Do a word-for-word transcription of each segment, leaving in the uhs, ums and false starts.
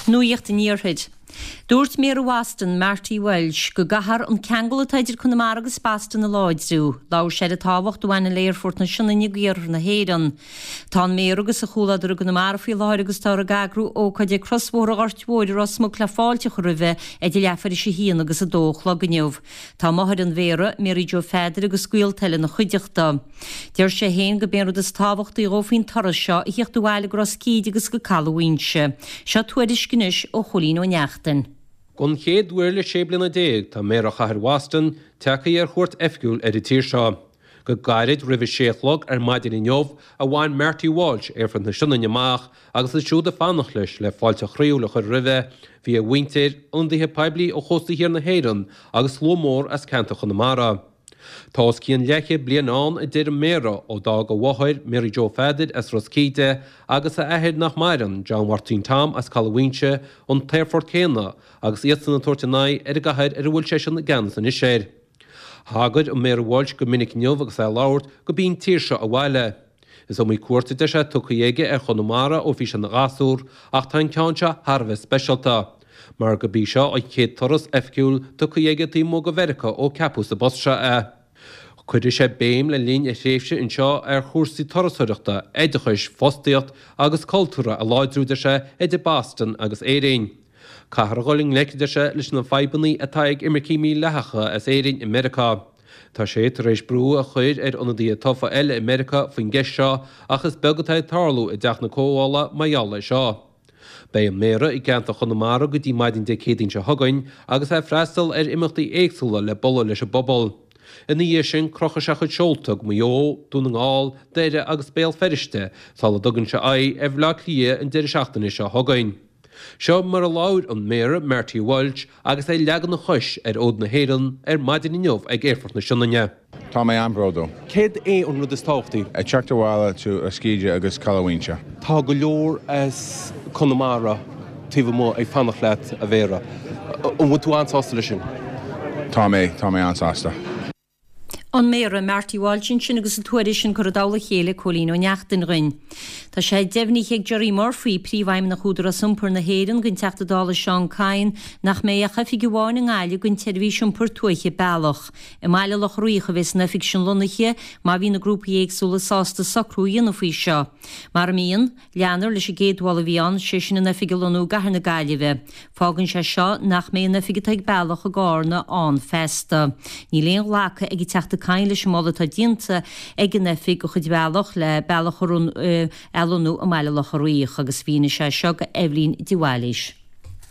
Nuacht an Iarthair. Dúirt Méara Bhoston, Marty Walsh, go gcaithfear an ceangal atá idir Conamara agus Boston a láidriú. Labhair sé ar an tábhacht a bhaineann le aerfort na Sionainne d'iarthar na hÉireann. Tá an Méara agus a chomhluadar i gConamara faoi láthair agus táthar ag eagrú ócáid ag Crosbhóthar an Ghoirt Mhóir i Ros Muc le fáilte a chur roimhe idir leathuair tar éis a haon agus a dó a chlog inniu. Tá máthair an Mhéara, Mary Joe Pheadair agus gaolta eile ina chuideachta. Deir sé féin gurb é an rud is tábhachtaí dhó faoin turas seo a theacht abhaile go Ros Cíde agus go Caladh Mhaínse. Seo tuairisc anois ó Chóilín Ó Neachtain. Don chéad uair le sé bliana déag tá Méara Chathair Bhoston tagtha ar chuairt oifigiúil ar an tír seo. Go gairid roimh a sé a chlog ar maidin inniu a bhain Marty Walsh aerfort na Sionainne amach agus iad siúd ag fanacht leis le fáilte chroíúil a chur roimhe, bhí a mhuintir, ionadaithe poiblí ó chósta thiar na hÉireann agus slua mór as ceantar Chonamara. Tá os cionn leathchéad bliain ann a deir an Méara ó d'fhág a mháthair Mary Joe Pheadair as Ros Cíde agus a athair nach maireann John Mhartin Tom as Caladh Mhaínse an t-aerfort céanna agus iadsan ag tabhairt a n-aghaidh ar an gcathair ar a bhfuil seisean i gceannas anois air. Thagair an Méara Walsh go minic inniu agus é ag labhairt gurb í an tír seo a bhaile. Is iomaí cuairt a deir sé tugtha aige ar Chonamara ó bhí sé ina ghasúr ach tá an ceann seo thar a bheith speisialta. Mar gurb í seo an chéad turas oifigiúil tugtha aige taobh amuigh de Mheiriceá ó ceapadh sa bpost seo é. Cuirfidh sé béim le linn a thréimhse anseo ar chúrsaí turasóireachta, oideachais, fostaíocht agus cultúrtha a láidriú deir sé idir Boston agus Éirinn. Caithfear a dhul i ngleic deir sé leis na fadhbanna atá ag imircigh mhídhleathacha as Éirinn i Meiriceá. Tá sé tar éis brú a chur ar ionadaithe tofa eile i Meiriceá faoin gceist seo ach is beag atá ag tarlú i dTeach na Comhdhála mar gheall air seo. Beidh an Méara i gceantar Chonamara go dtí maidin Dé Céadaoin seo chugainn agus é ag freastal ar imeachtaí éagsúla le bualadh leis an bpobal. Ina dhiaidh sin crochfaidh sé a chuid seolta go Maigh Eo, Dún na nGall, Doire agus Béal Feirste sula dtugann sé aghaidh ar Bhaile Átha Cliath an deireadh seachtaine seo chugainn. Seo mar a labhair an Méara Marty Walsh agus é ag leagan a chois ar fhód na hÉireann ar maidin inniu ag Aerfort na Sionainne. Tá mé an-bhródúil. Céard é an rud is tábhachtaí? Ag teacht abhaile to Ros Cíde agus Caladh Mhaínse. Tá go leor as Conamara taobh amuigh ag fanacht leat a Mhéara. An bhfuil tú an-sásta leis sin? Tá mé tá mé an-sásta. An Méara Marty Walsh sin agus an tuairisc sin curtha i dtoll a chéile Cóilín Ó Neachtain dhúinn. Tá sé deimhnithe ag Gerry Murphy, príomhfheidhmeannach Údarás Iompair na hÉireann don Teachta Dála Seán Kyne nach mbeidh ach oifig amháin i nGaillimh don tseirbhís iompair tuaithe Bealach. I mBaile Locha Riach a bheas an oifig sin lonnaithe má bhí na grúpaí éagsúla sásta socrú a dhéanamh faoi seo. Mura mbíonn, leanfar leis an gcéad mholadh a bhí ann, sé sin an oifig a lonnú i gCathair na Gaillimhe. Fágann sé seo nach mbeidh an oifig atá ag Bealach i gCarna ann feasta. Níl aon ghlacadh ag an Teachta Kyne leis an moladh atá déanta ag an oifig de chuid Bhealach le Bealach a lonnú i mBaile Locha Riach agus mhínigh sé seo do Eibhlín de Bhailís.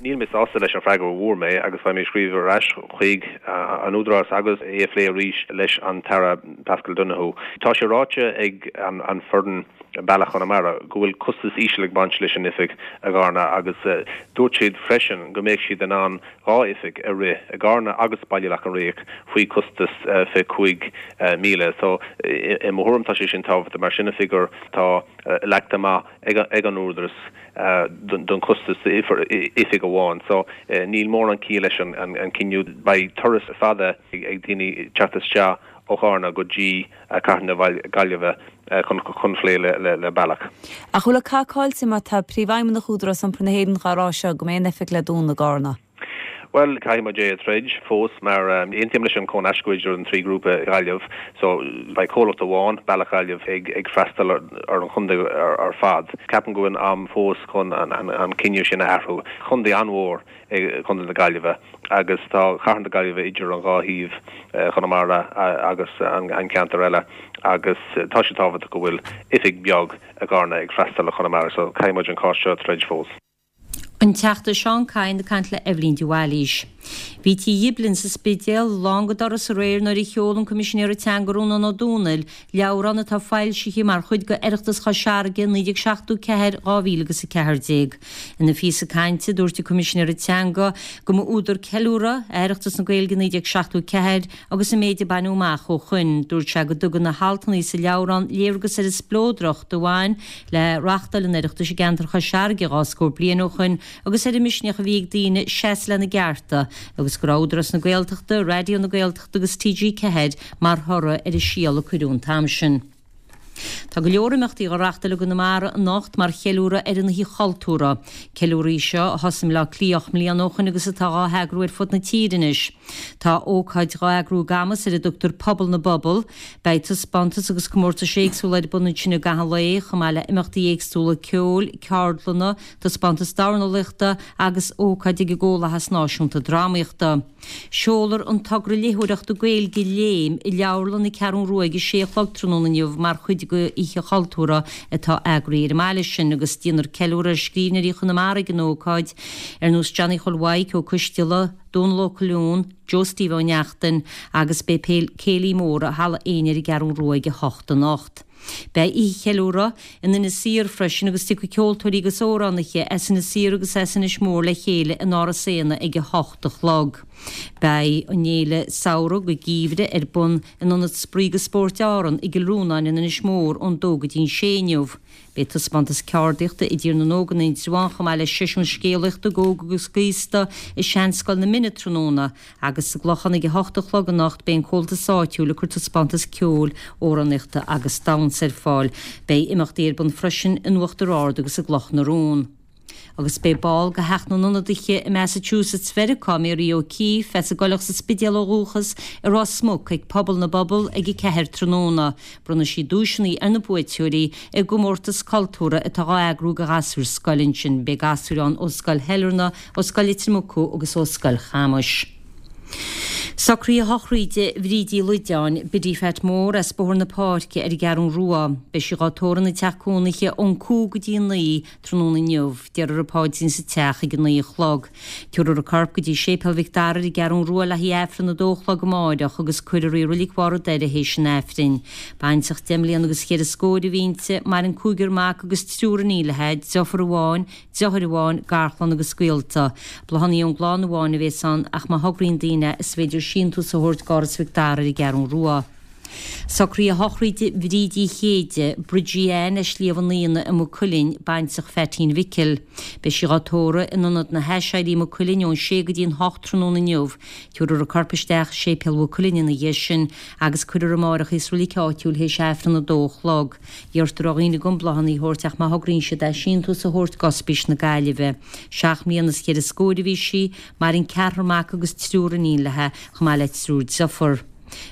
Níl mé sásta leis an bhfreagra a fuair mé agus beidh mé ag scríobh ar ais chuig an Údarás agus é a phlé arís leis an tAire Paschal Donohoe. Tá sé ráite ag an an foireann Bealach Chonamara go bhfuil costas íseal ag baint leis an oifig i gCarna agus dúirt siad freisin go mbeadh siad in ann dhá oifig a rith i gCarna agus Baile Locha Riach faoi costas fiche cúig míle. So i mo thuairim tá sé sin tábhachtach mar sin an figiúr tá leagtha amach ag an Údarás don chostas oifig amháin. So níl mórán ciall leis an cinneadh beidh turas fada ag daoine teacht isteach ó Charna go dtí Cathair na Gaillimhe chun chun plé le le Bealach. Ach bhfuil an cath caillte má tá príomhfheidhmeannach Údarás Iompair na hÉireann dhá rá seo go mbeidh an oifig le dúnadh i gCarna. Well caithfidh muid é a throid fós mar aontaím leis an chónascadh idir an trí grúpa Gaillimh, so beidh comhlacht amháin Bealach Gaillimh ag ag freastal ar an chontae ar fad. Ceapaim go bhfuil am fós chun an cinneadh sin a athrú. Contae an-mhór é Contae na Gaillimhe agus tá Cathair na Gaillimhe idir an dhá thaobh Chonamara agus an ceantar eile agus tá sé tábhachtach go bhfuil oifig beag i gCarna ag freastal ar Chonamara, so caithfidh muid an cás seo a throid fós. An Teachta Seán Kyne ag caint le Eibhlín de Bhailís. Bhí Tigh Ghiblin sa Spidéal lán go doras aréir nuair a sheol an Coimisinéir Teanga Rónán Ó Domhnaill leabhrán atá foilsithe mar chuid de Oireachtas Chois Fharraige naoi déag seachtó ceathair dhá mhíle agus a ceathair déag. Ina phíosa cainte dúirt an Coimisinéir Teanga go mba údar ceiliúrtha é Oireachtas na Gaeilge naoi déag seachtó ceathair agus an méid a baineadh amach ó shoin. Dúirt sé go dtugann na haltanna sa leabhrán léargas ar an spleodracht a bhain le reáchtáil an Oireachtais i gceantar Chois Fharraige dhá scór bliain ó shoin agus ar an misneach a bhí ag daoine seasamh lena gcearta agus go raibh Údarás na Gaeltachta, Raidió na Gaeltachta agus T G ceathair mar thoradh ar an síol a cuireadh an t-am sin. Tá go leor imeachtaí á reáchtáil i gConamara anocht mar cheiliúradh ar an Oíche Chultúrtha. Ceiliúradh é seo a thosaigh i mBleá Cliath ocht mbliana ó shoin agus atá á heagrú ar fud na tíre anois. Tá ócáid dhá eagrú i gCamus ar a dtugtar Pobal na bPobal. Beidh taispeántais agus comórtais éagsúla ar bun ansin i gcaitheamh an lae, chomh maith le imeachtaí éagsúla ceoil, ceardlanna, taispeántas dornálaíochta agus ócáid ag an gComhlathas Náisiúnta Drámaíochta. Seolfar an togra léitheoireachta Gaeilge Léim i Leabharlann na Ceathrún Rua ag a sé a chlog tráthnóna inniu mar chuid de Oíche Chultúrtha atá eagraithe ar an mbaile sin agus déanfar ceiliúradh ar scríbhneoirí Chonamara ag an ócáid, ar nós Johnny Chóil Mhaidhc Ó Coisteala, Dónal Ó Colúin, Joe Steve Ó Neachtain agus beidh céilí mór i Halla Éinne ar an gCeathrún Rua ag a hocht anocht. Beidh oíche cheiliúrtha in Inis Oírr freisin agus tiocfaidh ceoltóirí agus amhránaithe as Inis Oírr agus as Inis Mór le chéile in Áras Éanna ag a hocht a chlog. Beidh an fhéile Samhradh go Geimhreadh ar bun in Ionad Spraoi agus Spóirt Árann i gCill Rónáin in Inis Mór ón dó go dtí an sé inniu. Beidh taispeántas ceardaíochta i dTír na nÓg in Indreabhán chomh maith le seisiún scéalaíochta d'óg agus d'aosta i Seanscoil na Mine tráthnóna agus sa gClochán ag a hocht a chlog anocht beidh an Comhaltas áitiúil ag cur taispeántas ceoil, amhránaíochta agus damhsa ar fáil. Beidh imeachtaí ar bun freisin in Uachtar Ard agus i gCloch na Rón. Agus beidh ball de Theach na nIonadaithe i Massachusetts Mheiriceá, Mary O'Keefe, as an gCoileach sa Spidéal ó dhúchas, i Ros Muc ag Pobal na bPobal ag a ceathair tráthnóna. Bronnfaidh sí duaiseanna ar na buaiteoirí i gcomórtas cultúrtha atá á eagrú do ghasúir scoile ansin. Beidh gasúir ann ó Scoil Shailearna, ó Scoil Leitir Mucú agus ó Scoil Chamuis. Socruithe sochraide Bhríd Uí Loideáin, Biddy Phat Mór as Bóthar na Páirce ar an gCeathrún Rua. Beidh sí dhá tórramh ina teach cónaithe ón cúig go dtí a naoi tráthnóna inniu. Déarfar an paidrín sa teach ag a naoi a chlog. Tabharfar a corp go dtí Séipéal Mhic Dara ar an gCeathrún Rua le haghaidh Aifreann a dó a chlog amáireach agus cuirfear í i Reilig Bharr an Doire théis an Aifrinn. Baintreach deich mbliana agus cheithre scór a bhí inti, maireann cúigear mac agus triúr iníon léi, deirfiúr amháin, deartháir amháin, garchlann agus gaolta. Bláthanna ón gclann amháin a bhéas ann ach má thograíonn daoine is féidir síntiús a thabhairt d'Áras Mhic Dara ar an gCeathrún Rua. Socruithe sochraide Bhríd Uí Chéide, Bridgie Ann as Sliabh an Fhíona i Maigh Cuilinn, baintreach Pheaitín Mhicil. Beidh sí dhá tórramh in Ionad na hAiséirí i Maigh Cuilinn ón sé go dtí an hocht tráthnóna inniu. Tabharfar a corp isteach i Séipéal Mhaigh Cuilinn ina dhiaidh sin agus cuirfear amáireach í sa reilig áitiúil théis Aifreann a dó a chlog. Iarrtar ar dhaoine gan bláthanna a thabhairt ach má thograíonn siad é síntiús a thabhairt d'Ospís na Gaillimhe. Seacht mbliana is ceithre scóir a bhí sí, maireann ceathrar mac agus triúr iníon léi, chomh maith le triúr deirfiúr.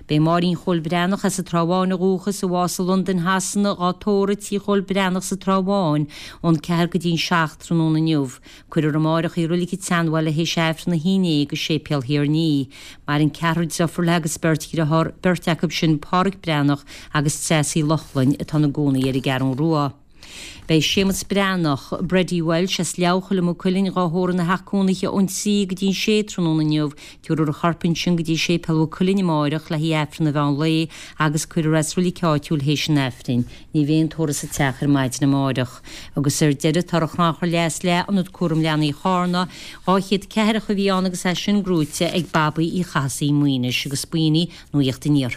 Beidh Máirín Chóil Breathnach as an Trá Bháin ó dhúchas, a bhásaigh i Londain Shasana, dhá tórramh i Tí Chóil Breathnach sa Trá Bháin ón ceathair go dtí an seacht tráthnóna inniu. Cuirfear amáireach í i Reilig an tSeanbhaile théis Aifreann a haon déag i Séipéal Thír an Fhia. Maireann ceathrar deirfiúr léi agus beirt dhearthár, beirt acu sin Páraic Breathnach agus Treasa Uí Lochlainn atá ina gcónaí ar an gCeathrún Rua. Beidh Séamus Breathnach, Bridie Walsh as Leamhchoill i Maigh Cuilinn dhá thórramh ina theach cónaithe ón trí go dtí an sé tráthnóna inniu. Tabharfar a chorp ansin go dtí Séipéal Mhaigh Cuilinn amáireach le haghaidh Aifreann an mheán lae agus cuirfear é sa reilig áitiúil théis an Aifrinn. Ní bheidh aon tórramh sa teach ar maidin amáireach. Agus ar deireadh, tá ar an chrannchur leath is leath, Ionad Cúram Leanaí Chárna, dhá chéad ceathracha a bhí ann agus é sin gnóite ag Babaí Uí Chathasaigh Maínis agus b'in í Nuacht an Iarthair.